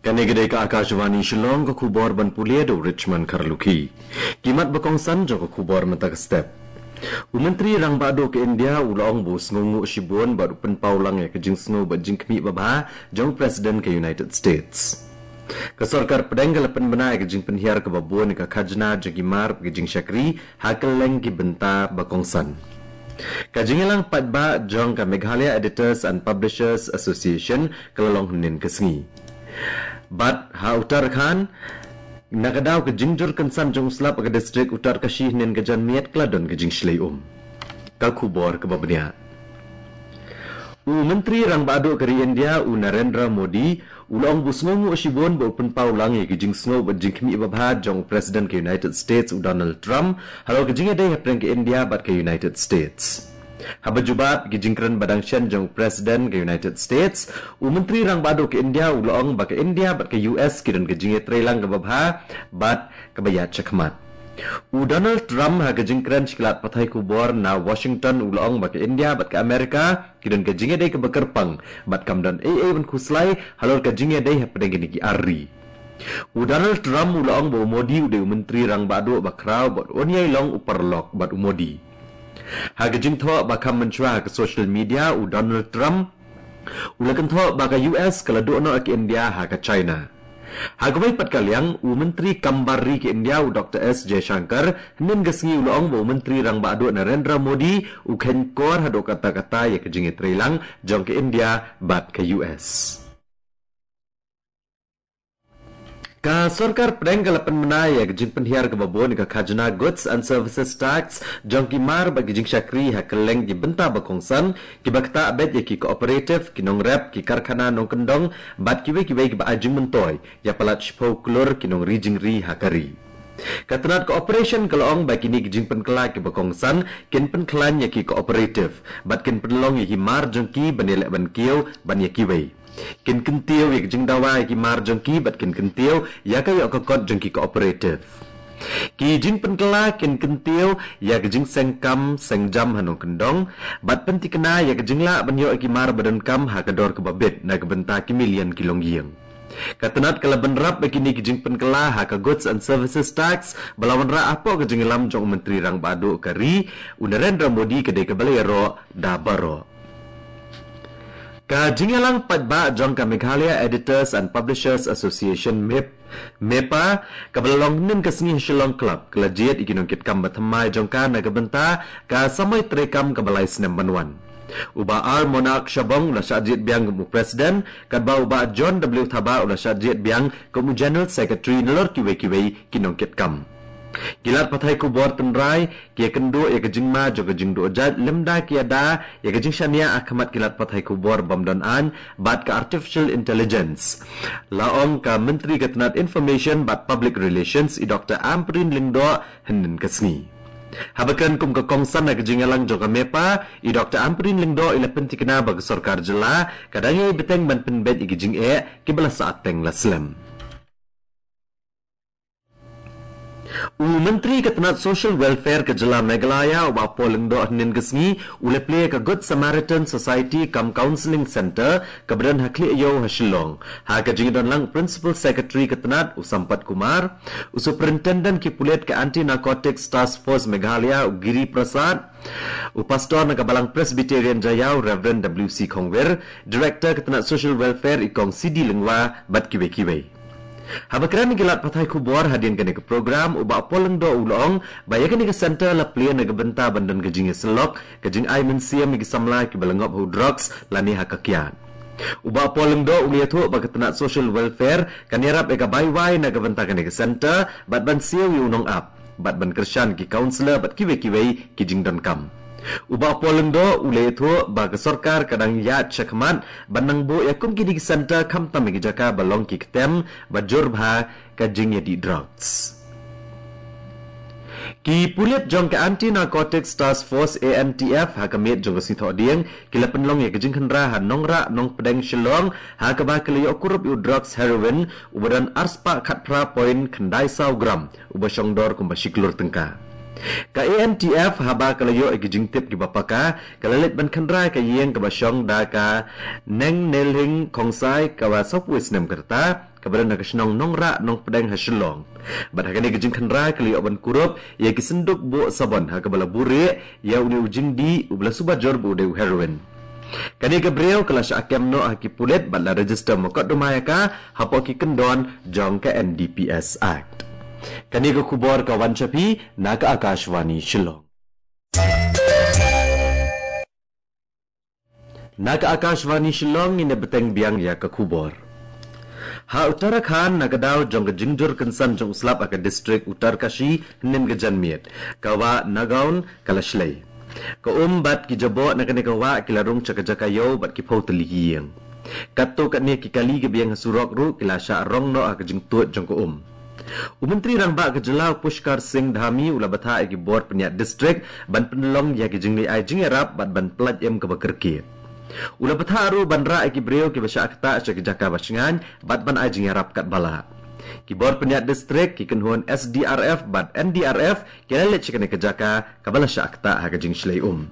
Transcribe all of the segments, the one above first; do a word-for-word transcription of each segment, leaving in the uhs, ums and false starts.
Kane ka dei ka Akashvani Shillong, ka khubor ban pule da u Richmond Kharlukhi. Ki mat ba kongsan jong ka khubor mynta ka step. U Myntri Rangbah Duh ka India u la ong ba u sngewnguh shibun bad u pynpaw lang ïa ka jingsngew bad jingkhmih babha jong u President ka United States. Ka sorkar pdeng ka la pynbna ïa ka jingpynhiar kaba bun ïa ka khajna jong ki mar bad ki jingshakri ha kylleng ki bynta ba kongsan. Ka jingïalang paidbah jong ka Meghalaya Editors and Publishers Association ka la long hynnin ka sngi. Bad ha Uttarakhand, na ka daw ka jingjur kynsan jong u slap ha ka distrik Uttarkashi hynnin ka janmiet ka la don ka jingshlei um. Ka khubor kaba bniah. U Myntri Rangbah Duh ka ri India u Narendra Modi u la ong ba u sngewnguh shibun ba u pynpaw lang ïa ka jingsngew bad jingkhmih babha jong u President ka United States u Donald Trump halor ka jingïadei hapdeng ka India bad ka United States. Haba jubab ki jingkren ba dang shen jong u President ka United States, u Myntri Rangbah Duh ka India u la ong ba ka India bad ka U S ki don ka jingïatreilang kaba bha bad kaba ïaid shakhmat. U Donald Trump ha ka jingkren sha ki lad pathai khubor na Washington u la ong ba ka India bad ka Amerika ki don ka jingïadei kaba kyrpang bad kam don ei ei ban khuslai halor ka jingïadei hapdeng kine ki ar ri. U Donald Trump u la ong ba u Modi u dei u Myntri Rangbah Duh ba khraw bad un ïai long u paralok bad u Modi. Ha ka jingthoh ba kham mynshuwa ha ka social media, u Donald Trump u la kynthoh ba ka U S ka la duh noh ïa ka India ha ka China. Ha kawei pat ka liang, u Myntri Kam Bar Ri ka India u Doctor S Jaishankar hynnin ka sngi u la ong ba u Myntri Rangbah Duh Narendra Modi u kheiñ kor haduh katta katta ïa ka jingïatreilang jong ka India bad ka U S. Ka sorkar pdeng ka la pynbna ïa ka jingpynhiar kaba bun ïa ka khajna, Goods and Services Tax, jong ki mar bad ki jingshakri ha kylleng ki bynta ba kongsan, kiba ktah beit ïa ki cooperative, ki nongrep, ki karkhana nongkyndong bad kiwei kiwei kiba ai jingmyntoi ïa palat shiphew klur ki nongri jingri ha ka ri. Ka tnat cooperation ka la ong ba kine ki jingpynkylla kiba kongsan kin pynkhlaiñ ïa ki cooperative bad kin pynlong ïa ki mar jong ki ban ïaleh ban kiew ban ïa kiwei. Kin kyntiew ïa ka jingdawa ïa ki mar jong ki bad kin kyntiew ïa ka ïoh ka kot jong ki cooperative. Ki jingpynkylla kin kyntiew ïa ka jingseng kam seng jam ha nongkyndong bad pynthikna ïa ka jinglah ban ïoh ïa ki mar ba donkam ha ka dor kaba bit na ka bynta ki million ki longïing. Ka tnat ka la bynrap ïa kine ki jingpynkylla ha ka Goods and Services Tax ba la wanrah hapoh ka jingïalam jong u Myntri Rangbah Duh ka ri u Narendra Modi ka dei kaba la ïaroh da baroh. Ka jingïalang paidbah jong ka Meghalaya Editors and Publishers Association, MEP, MEPA, kaba la long hynnin ka sngi ha Shillong Club, ka la jied ïa ki nongkitkam ba thymmai jong ka na ka bynta ka samoi treikam kaba lai snem ban wan. U Bah R Monarch Shabong u la shah jied biang kum u President, katba u Bah John W Thabah u la shah jied biang kum u General Secretary nalor kiwei kiwei ki nongkitkam. Ki lad pathai khubor tynrai ki ïakynduh ïa ka jingma jong ka jingduh jait lymda ki ïada ïa ka jingshaniah ha khmat ki lad pathai khubor bym don aiñ bad ka artificial intelligence, la ong ka Myntri ka tnat Information bad Public Relations i Doctor Ampareen Lyngdoh hynnin ka sngi. Haba kren kum ka kongsan ha ka jingïalang jong ka MEPA, i Doctor Ampareen Lyngdoh i la pynthikna ba ka sorkar jylla ka dang ïai bteng ban pynbeit ïa ki jingeh kiba la sah teng la slem. U Myntri ka tnat Social Welfare ka jylla Meghalaya, u Bah Paul Lyngdoh, hynnin ka sngi u la plie ïa ka Good Samaritan Society cum Counselling Centre kaba don ha Khlieh Ïew ha Shillong, ha ka jingdon lang u Principal Secretary ka tnat, u Sampath Kumar, u Superintendent ki pulit ka Anti Narcotics Task Force Meghalaya, u Giri Prasad, u Pastor na ka Balang Presbyterian Jaiaw, Reverend W C Khongwir, Director ka tnat Social Welfare, i Kong C D Lyngwa, bad kiwei kiwei. Haba kren ïa ki lad pathai khubor hadien kane ka program, u Bah Paul Lyngdoh u la ong ba ïa kane ka centre la plie na ka bynta ban don ka jingïasyllok, ka jingai mynsiem ïa ki samla kiba la ngop ha u drugs lane ha ka kiad. U Bah Paul Lyngdoh u la ïathuh ba ka tnat Social Welfare kan ïarap ïa ka bai wai na ka bynta kane ka centre bad ban siew ïa u nongap bad ban kyrshan ki counsellor bad kiwei kiwei ki jingdonkam. U Bah Paul Lyngdoh u la ïathuh ba ka sorkar ka dang ïaid shakhmat ban nang buh ïa kum kine ki centre khamtam ïa ki jaka ba long ki ktem ba jur bha ka jingïadih drugs. Ki pulit jong ka Anti Narcotics Task Force, A N T F, ha ka miet jong ka Sngi Thohdieng ki la pynlong ïa ka jingkhynra ha Nongrah Nongpdeng Shillong, ha kaba ki la ïoh kurup ïa u drugs heroin uba don arspah khatphra point khyndai saw gram, uba shong dor kumba shi klur tyngka. Ka A N T F haba ka la ïoh ïa ki jingtip kiba paka, ka la leit ban khynra ïa ka ïing kaba shong da ka Nengnelhing Khongsai kaba sawphew snem ka rta, kaba don ha ka shnong Nongrah Nongpdeng ha Shillong. Bad ha kane ka jingkhynra ka la ïoh ban kurup ïa ki synduk buh sabon ha kaba la buh rieh ïa une u jingdih uba la suba jur ba u dei u heroin. Kane ka briew ka la shah kem noh ha ki pulit bad la register mukotduma ïa ka hapoh ki kyndon jong ka N D P S Act. Kane ka khubor ka wan sha phi na ka Akashvani Shillong. Na ka Akashvani Shillong ngin ïa bteng biang ïa ka khubor. Ha Uttarakhand, na ka daw jong ka jingjur kynsan jong u slap ha ka distrik Uttarkashi hynnin ka janmiet, ka wah Nagaon ka la shlei. Ka um bad ki jaboh na kane ka wah ki la rung sha ka jaka ïew bad ki phew tylli ki ïing. Katto katne ki kali kiba ïeng ha surok ruh ki la shah rong noh ha ka jingtuid jong ka um. U Myntri Rangbah ka jylla u Pushkar Singh Dhami u la bthah ïa ki bor pynïaid distrik ban pynlong ïa ki jingleit ai jingïarap bad ban pyllait im kaba kyrkieh. U la bthah ruh ban rah ïa ki briew kiba shah ktah sha ki jaka ba shngaiñ bad ban ai jingïarap katba lah. Ki bor pynïaid distrik, ki kynhun S D R F bad N D R F ki la leit sha kane ka jaka kaba la shah ktah ha ka jingshlei um.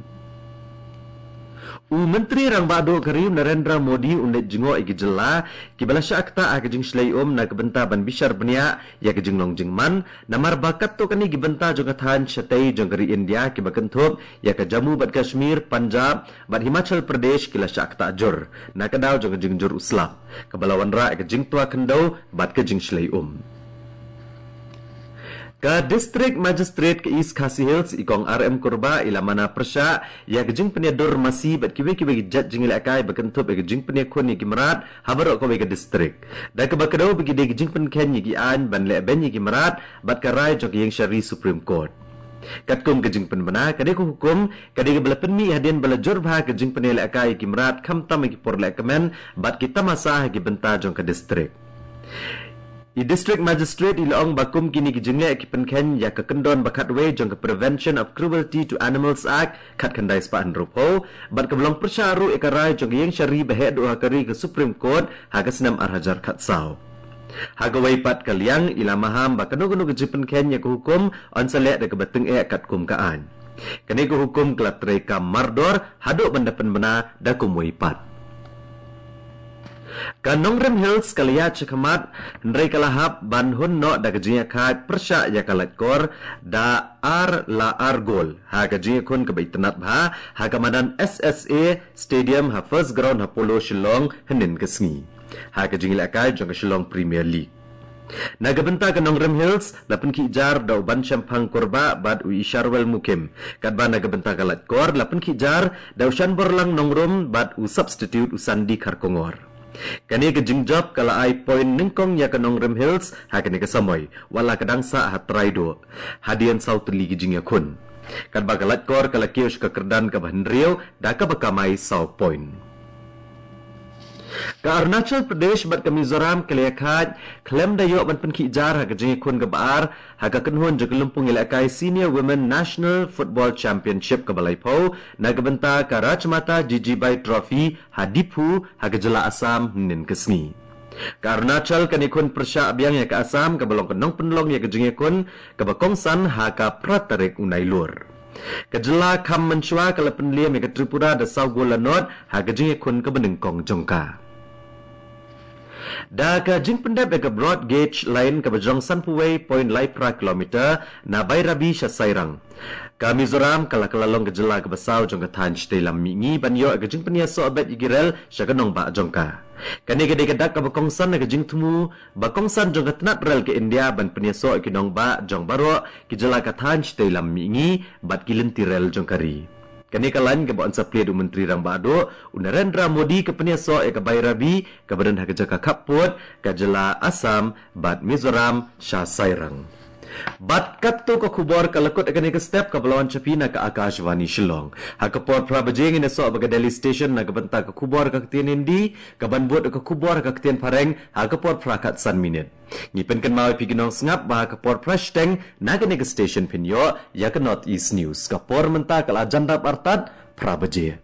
U Myntri Rangbah Duh ka ri u Narendra Modi un leit jngoh ïa ki jylla kiba la shah ktah ha ka jingshlei um na ka bynta ban bishar bniah ïa ka jinglong jingman, namar ba katto katne ki bynta jong ka thaiñ shatei jong ka ri India kiba kynthup ïa ka Jammu bad Kashmir, Punjab bad Himachal Pradesh ki la shah ktah jur na ka daw jong ka jingjur u slap, kaba la wanrah ïa ka jingtwa khyndew bad ka jingshlei um. Ka District Magistrate ka East Khasi Hills, i Kong R M Kurbah, i la mana pyrshah ïa ka jingpynïadur masi bad kiwei kiwei ki jait jingïalehkai ba kynthup ïa ka jingpynïakhun ïa ki mrad ha baroh kawei ka distrik, da kaba kdew ba ki dei ki jingpynkheiñ ïa ki aiñ ban leh beiñ ïa ki mrad bad ka rai jong ka ïingshari Supreme Court. Katkum ka jingpynbna, kane ka hukum ka dei kaba la pynmih hadien ba la jur bha ka jingpynïalehkai ïa ki mrad, khamtam ha ki por lehkmen bad ki tamasa ha ki bynta jong ka distrik. I District Magistrate i la ong ba kum kine ki jingleh ki pynkheiñ ïa ka kyndon ba khatwei jong ka Prevention of Cruelty to Animals Act khatkhyndai spah hynriewphew, bad kaba long pyrshah ruh ïa ka rai jong ka ïingshari ba heh duh ha ka ri, ka Supreme Court, ha ka snem ar hajar khatsaw. Ha kawei pat ka liang, i la maham ba kano kano ka jingpynkheiñ ïa ka hukum yn sa leh da kaba tyngeh katkum ka aiñ. Kane ka hukum ka la treikam mardor haduh ban da pynbna da kumwei pat. Ka Nongrim Hills ka la ïaid shakhmat, hynrei ka la hap ban hun noh da ka jingïakhaid pyrshah ïa ka Laitkor da ar la ar gol ha ka jingïakhun kaba itynnad bha ha ka madan S S A Stadium ha First Ground ha Polo Shillong hynnin ka sngi, ha ka jingïalehkai jong ka Shillong Premier League. Na ka bynta ka Nongrim Hills, la pynkhih jar da u Banshemphang Kurbah bad u Isharwel Mukim, katba na ka bynta ka Laitkor la pynkhih jar da u Shanborlang Nongrum bad u substitute u Sandi Kharkongor. Kane ka jingjop ka la ai point nyngkong ïa ka Nongrim Hills ha kane ka samoi, wat la ka dang sah ha trai duh hadien saw tylli ki jingïakhun, katba ka Laitkor ka la kiew sha ka kyrdan kaba hynriew da kaba kamai saw point. Ka Arunachal Pradesh bad ka Mizoram ka la ïakhaid khlem da ïoh ban pynkhih jar ha ka jingïakhun kaba ar ha ka kynhun jong ka lympung ïalehkai Senior Women National Football Championship kaba laiphew na ka bynta ka Rajmata Jijibai Trophy ha Diphu ha ka jylla Assam hynnin ka sngi. Ka Arunachal kan ïakhun pyrshah biang ïa ka Assam kaba long ka nongpynlong ïa ka jingïakhun kaba kongsan ha ka phra tarik u Nailur. Ka jylla kham mynshuwa ka la pynliem ïa ka Tripura da saw gol la nod ha ka jingïakhun kaba nyngkong jong ka. Da ka jingpyndep ïa ka Broad Gauge Line kaba jrong sanphew wei point lai phra kilometer na Bairabi sha Sairang, ka Mizoram ka la kylla long ka jylla kaba saw jong ka thaiñ shatei lam mihngi ban ïoh ïa ka jingpynïasoh beit ïa ki rel sha ka nongbah jong ka. Kane ka dei ka dak kaba kongsan ha ka jingthmu ba kongsan jong ka tnat rel ka India ban pynïasoh ïa ki nongbah jong baroh ki jylla ka thaiñ shatei lam mihngi bad ki lynti rel jong ka ri. Kane ka lain kaba yn sa plie da u Myntri Rangbah Duh u Narendra Modi ka pynïasoh ïa ka Bairabi kaba don ha ka jaka khappud ka jylla Assam bad Mizoram sha Sairang. Bad katto ka khubor ka la kut ha kane ka step, kaba la wan sha phi na ka Akashvani Shillong. Ha ka por phra baje ngin ïasoh bad ka Delhi Station na ka bynta ka khubor ha ka ktien Hindi, kaban bud ka khubor ha ka ktien Phareng ha ka por phra khatsan minit. Ngi pynkynmaw ïa phi ki nongsngap ba ha ka por phra shiteng na kane ka station phin ïoh ïa ka North East News. Ka por mynta ka la jan dap artat phra baje.